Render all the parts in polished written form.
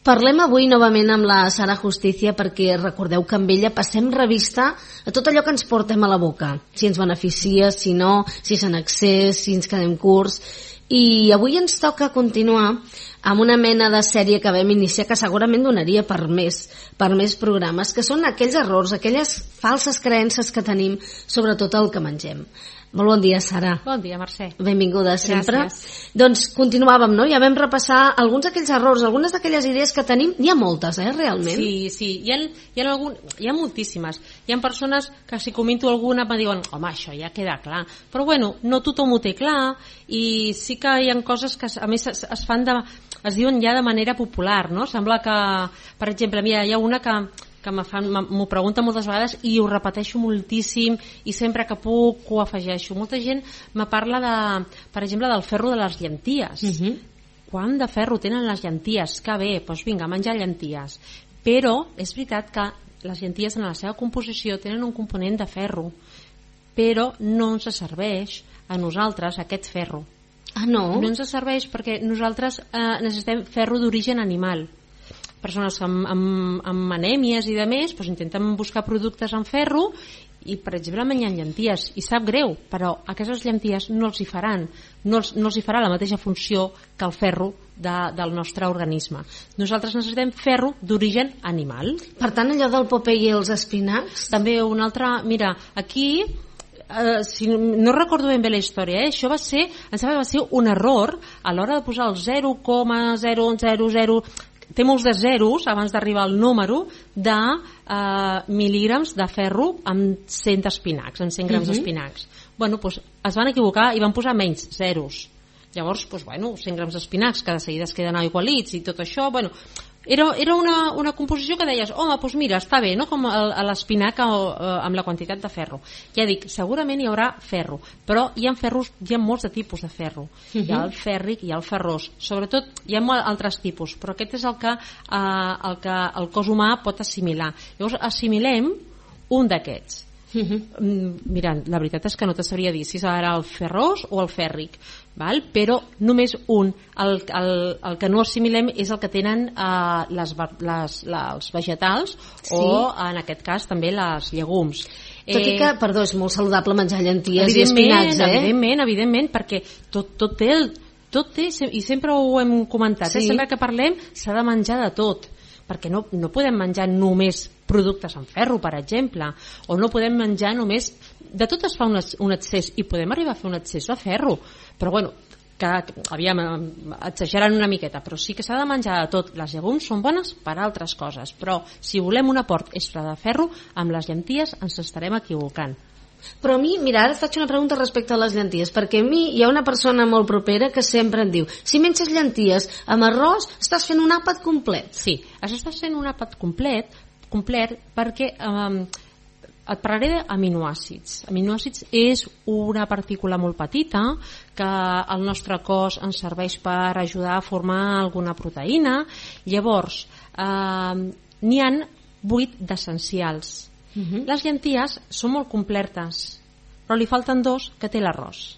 Parlem avui novament amb la Sara Justicia perquè recordeu que amb ella passem revista a tot allò que ens portem a la boca. Si ens beneficia, si no, si és en excés, si ens quedem curts. I avui ens toca continuar amb una mena de sèrie que vam iniciar que segurament donaria per més programes, que són aquells errors, aquelles falses creences que tenim sobre tot el que mengem. Molt bon dia, Sara. Bon dia, Mercè. Benvinguda sempre. Gràcies. Doncs continuàvem, no? Ja vam repassar alguns d'aquells errors, algunes d'aquelles idees que tenim. N'hi ha moltes, realment. Sí. Hi ha moltíssimes. Hi ha persones que si comento alguna em diuen, home, això ja queda clar. Però bueno, no tothom ho té clar i sí que hi ha coses que a més es fan es diuen ja de manera popular, no? Sembla que, per exemple, mira, hi ha una que m'ho pregunta moltes vegades i ho repeteixo moltíssim i sempre que puc ho afegeixo. Molta gent me parla per exemple, del ferro de les llenties. Quant de ferro tenen les llenties? Que bé, doncs vinga, menjar llenties. Però és veritat que les llenties en la seva composició tenen un component de ferro, però no ens serveix a nosaltres aquest ferro. Ah, no? No ens serveix perquè nosaltres necessitem ferro d'origen animal. Persones amb anèmies i de més doncs intenten buscar productes amb ferro i, per exemple, menjant llenties. I sap greu, però aquestes llenties no els hi faran. No els hi farà la mateixa funció que el ferro del nostre organisme. Nosaltres necessitem ferro d'origen animal. Per tant, allò del Popeye i els espinacs? També una altra... Mira, aquí... si no recordo ben bé la història, això va ser un error a l'hora de posar el 0,000... té molts de zeros abans d'arribar al número de mil·lígrams de ferro amb 100 espinacs, en 100 grams d'espinacs. Bueno, doncs es van equivocar i van posar menys zeros. Llavors, doncs, bueno, 100 grams d'espinacs que de seguida es queden aigualits i tot això, bueno, era una composició que deies, home, doncs mira, està bé, no? Com l'espinac amb la quantitat de ferro. Ja dic, segurament hi haurà ferro, però hi ha molts de tipus de ferro. Hi ha el fèrric, hi ha el ferrós, sobretot hi ha altres tipus, però aquest és el que el cos humà pot assimilar. Llavors assimilem un d'aquests. Mira, la veritat és que no te sabria dir si serà el ferrós o el fèrric, val? Però només un. El que no assimilem és el que tenen els vegetals, sí, o en aquest cas també les llegums. Tot i que, perdó, és molt saludable menjar llenties i espinacs, evidentment, perquè tot té, i sempre ho hem comentat, sí, sempre que parlem s'ha de menjar de tot, perquè no podem menjar només productes amb ferro, per exemple, o no podem menjar només... De tot es fa un excés, i podem arribar a fer un excés de ferro, però bueno, exagerant una miqueta, però sí que s'ha de menjar de tot. Les llegums són bones per altres coses, però si volem un aport extra de ferro, amb les llenties ens estarem equivocant. Però a mi, mira, ara et faig una pregunta respecte a les llenties, perquè a mi hi ha una persona molt propera que sempre em diu, si menges llenties amb arròs estàs fent un àpat complet. Sí, estàs fent un àpat complet perquè et parlaré d'aminoàcids. Aminoàcids és una partícula molt petita que el nostre cos ens serveix per ajudar a formar alguna proteïna. Llavors, n'hi ha 8 d'essencials. Les llenties són molt completes, però li falten 2 que té l'arròs.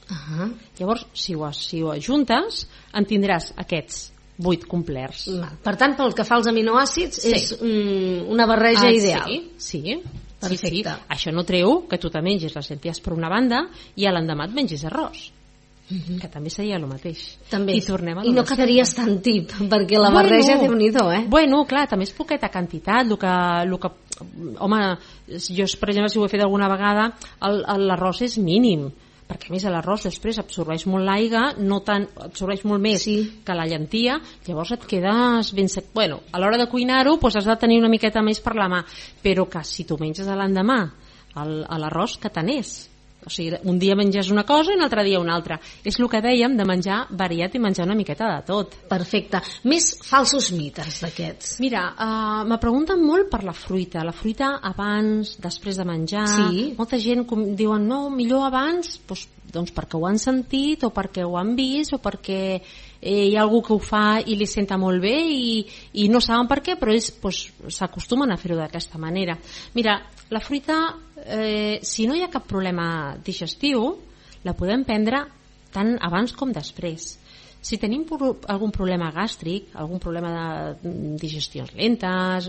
Llavors, si ho ajuntes, en tindràs aquests 8 complerts. Per tant, pel que fa als aminoàcids, sí, és una barreja ideal. Sí. Perfecte. Sí. Això no treu que tu te mengis les llenties per una banda i a l'endemà et mengis arròs. Que també seria el mateix. També. I no quedaries tan tip, perquè la barreja Déu-n'hi-do, Bueno, clar, també és poqueta quantitat. Home, jo, per exemple, si ho he fet alguna vegada, l'arròs és mínim, perquè a més l'arròs després absorbeix molt l'aigua, absorbeix molt més que la llentia, llavors et quedes ben sec. Bueno, a l'hora de cuinar-ho has de tenir una miqueta més per la mà, però que si tu menges a l'endemà l'arròs, que tant és? O sigui, un dia menges una cosa i un altre dia una altra. És el que dèiem de menjar variat i menjar una miqueta de tot. Perfecte. Més falsos mites d'aquests. Mira, me pregunten molt per la fruita. La fruita abans, després de menjar. Sí. Molta gent diuen, no, millor abans, doncs perquè ho han sentit o perquè ho han vist o perquè hi ha algú que ho fa i li senta molt bé i no saben per què, però ells s'acostumen a fer-ho d'aquesta manera. Mira, la fruita, si no hi ha cap problema digestiu, la podem prendre tant abans com després. Si tenim algun problema gàstric, algun problema de digestions lentes,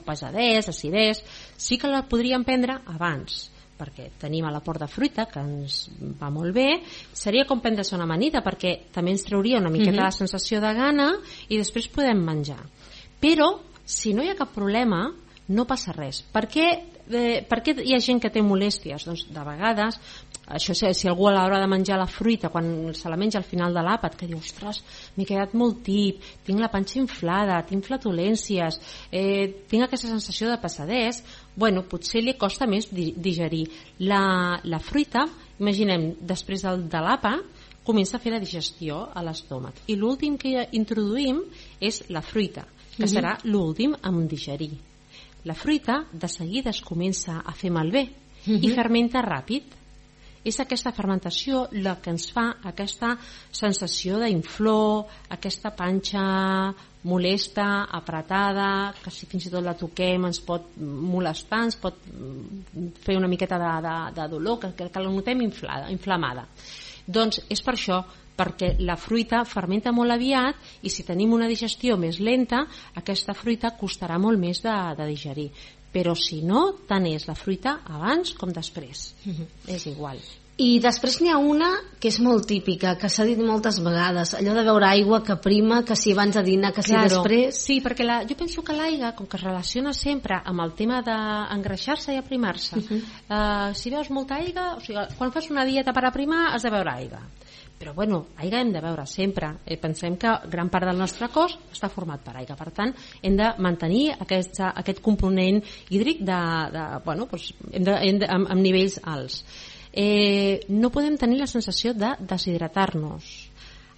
pesadès, acidès, sí que la podríem prendre abans, perquè tenim a l'aport de fruita, que ens va molt bé. Seria com prendre-se una amanida, perquè també ens trauria una miqueta la sensació de gana i després podem menjar. Però, si no hi ha cap problema, no passa res. Per què hi ha gent que té molèsties? Doncs de vegades, això si algú a l'hora de menjar la fruita, quan se la menja al final de l'àpat, que diu, ostres, m'he quedat molt tip, tinc la panxa inflada, tinc flatulències, tinc aquesta sensació de pesadès, bueno, potser li costa més digerir. La fruita, imaginem, després de l'àpat, comença a fer la digestió a l'estómac. I l'últim que introduïm és la fruita, que serà l'últim en digerir. La fruita de seguida es comença a fer malbé i fermenta ràpid. És aquesta fermentació la que ens fa aquesta sensació d'inflor, aquesta panxa molesta, apretada, que si fins i tot la toquem ens pot molestar, ens pot fer una miqueta de dolor, que la notem inflamada. Doncs és per això, perquè la fruita fermenta molt aviat i si tenim una digestió més lenta, aquesta fruita costarà molt més de digerir. Però si no, tant és la fruita abans com després. És igual. I després n'hi ha una que és molt típica, que s'ha dit moltes vegades, allò de beure aigua que prima, que si abans de dinar, que si després... Sí, perquè jo penso que l'aigua, com que es relaciona sempre amb el tema d'engreixar-se i aprimar-se, si veus molta aigua, o sigui, quan fas una dieta per aprimar has de beure aigua. Però bueno, aigua hem de beure sempre. Pensem que gran part del nostre cos està format per aigua, per tant hem de mantenir aquest component hídric amb nivells alts. No podem tenir la sensació de deshidratar-nos.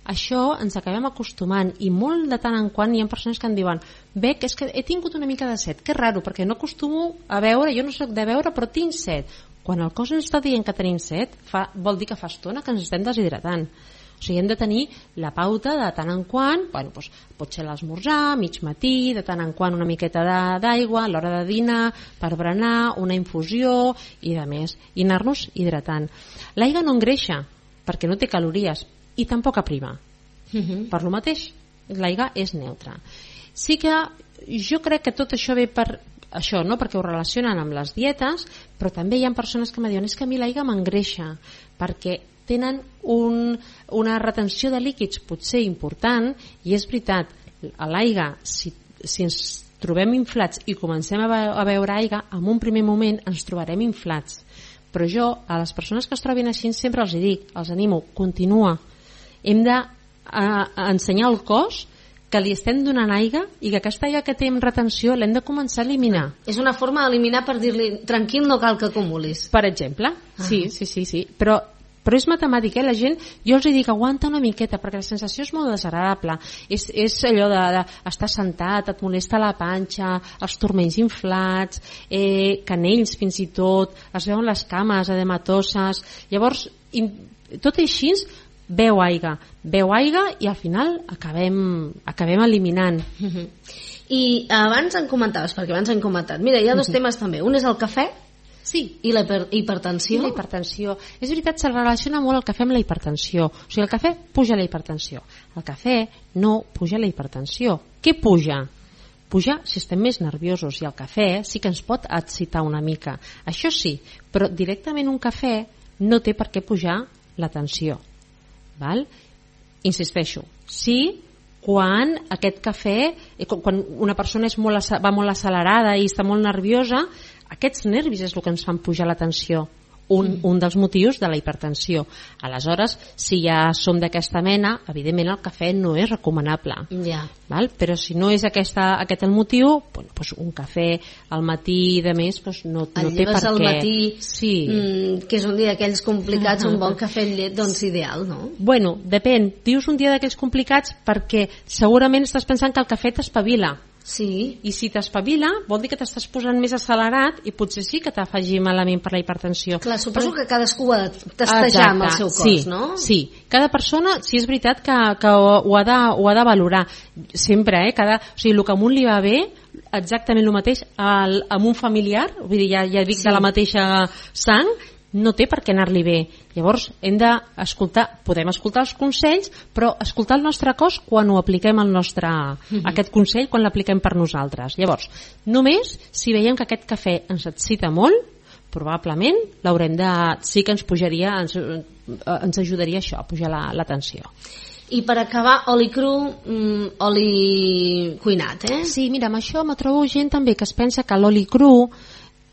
Això ens acabem acostumant i molt de tant en quant hi ha persones que em diuen Bec, és que he tingut una mica de set, que raro, perquè no acostumo a beure, jo no soc de beure però tinc set. Quan el cos ens està dient que tenim set, vol dir que fa estona que ens estem deshidratant. O sigui, hem de tenir la pauta de tant en quant, doncs, pot ser l'esmorzar, mig matí, de tant en quant una miqueta d'aigua, a l'hora de dinar, per berenar, una infusió i de més, i anar-nos hidratant. L'aigua no engreixa, perquè no té calories, i tampoc aprima. Per lo mateix, l'aigua és neutra. Sí que jo crec que tot això ve per això, no? Perquè ho relacionen amb les dietes, però també hi ha persones que em diuen és que a mi l'aigua m'engreixa, perquè tenen una retenció de líquids potser important, i és veritat, a l'aigua, si ens trobem inflats i comencem a beure aigua, en un primer moment ens trobarem inflats. Però jo, a les persones que es trobin així, sempre els dic, els animo, continua. Hem d'ensenyar al cos que li estem donant aigua i que aquesta aigua que té en retenció l'hem de començar a eliminar. És una forma d'eliminar per dir-li tranquil, no cal que acumulis. Per exemple, sí. Però és matemàtic, la gent, jo els dic aguanta una miqueta perquè la sensació és molt desagradable, és allò d'estar sentat, et molesta la panxa, els turmells inflats, canells fins i tot, es veuen les cames edematoses, llavors tot així beu aigua i al final acabem eliminant. I abans en comentaves, perquè abans hem comentat, mira, hi ha dos temes també, un és el cafè i la hipertensió. I la hipertensió. És veritat, se relaciona molt el cafè amb la hipertensió. O sigui, el cafè puja la hipertensió. El cafè no puja la hipertensió. Què puja? Puja si estem més nerviosos, i el cafè sí que ens pot excitar una mica. Això sí, però directament un cafè no té per què pujar la tensió. Val? Insisteixo, sí, quan aquest cafè, quan una persona va molt accelerada i està molt nerviosa, aquests nervis és el que ens fan pujar la tensió, un dels motius de la hipertensió. Aleshores, si ja som d'aquesta mena, evidentment el cafè no és recomanable. Val? Però si no és aquest el motiu, doncs un cafè al matí de més no té per què. El lleves al matí, que és un dia d'aquells complicats, un bon cafè amb llet, doncs ideal, no? Bueno, depèn. Dius un dia d'aquells complicats perquè segurament estàs pensant que el cafè t'espavila. Sí. I si t'espavila vol dir que t'estàs posant més accelerat i potser sí que t'afegir malament per la hipertensió. Clar, suposo que cadascú ha de testejar amb el seu cos, no? Sí, cada persona, sí és veritat que ho ha de valorar sempre, o sigui, el que a un li va bé exactament el mateix amb un familiar, vull dir, ja dic de la mateixa sang, no té per què anar-li bé. Llavors hem d'escoltar, podem escoltar els consells, però escoltar el nostre cos quan ho apliquem aquest consell, quan l'apliquem per nosaltres. Llavors, només si veiem que aquest cafè ens excita molt, probablement sí que ens ajudaria això, a pujar la tensió. I per acabar, oli cru, oli cuinat, Sí, mira, amb això me trobo gent també que es pensa que l'oli cru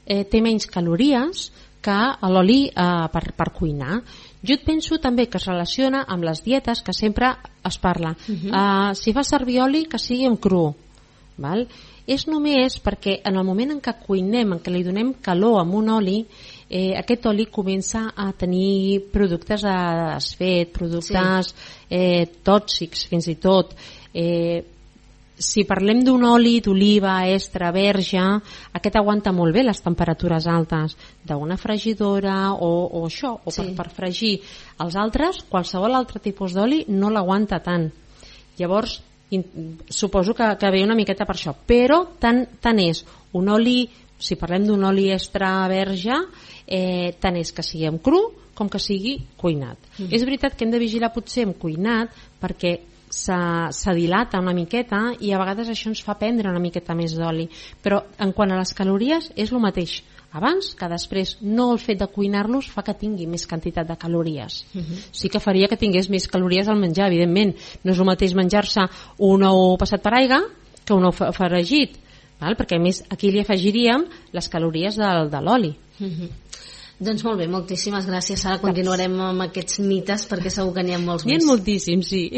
té menys calories que l'oli per cuinar. Jo et penso també que es relaciona amb les dietes que sempre es parla. Si fa servir oli, que sigui en cru. Val? És només perquè en el moment en què cuinem, en què li donem calor amb un oli, aquest oli comença a tenir productes de desfet, productes tòxics fins i tot. Si parlem d'un oli d'oliva extra verge, aquest aguanta molt bé les temperatures altes d'una fregidora o això, o per fregir. Els altres, qualsevol altre tipus d'oli no l'aguanta tant. Llavors, suposo que ve una miqueta per això, però tant és un oli, si parlem d'un oli extra verge, tant és que sigui en cru com que sigui cuinat. És veritat que hem de vigilar potser amb cuinat perquè se dilata una miqueta i a vegades això ens fa prendre una miqueta més d'oli, però en quant a les calories és el mateix abans que després. No el fet de cuinar-los fa que tingui més quantitat de calories. Sí que faria que tingués més calories al menjar, evidentment. No és el mateix menjar-se un ou passat per aigua que un ou fregit, perquè a més aquí li afegiríem les calories de l'oli. Doncs molt bé, moltíssimes gràcies. Ara continuarem amb aquests mites perquè segur que n'hi ha molts més. N'hi ha moltíssims, sí.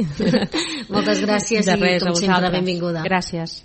Moltes gràcies i com sempre benvinguda. Gràcies.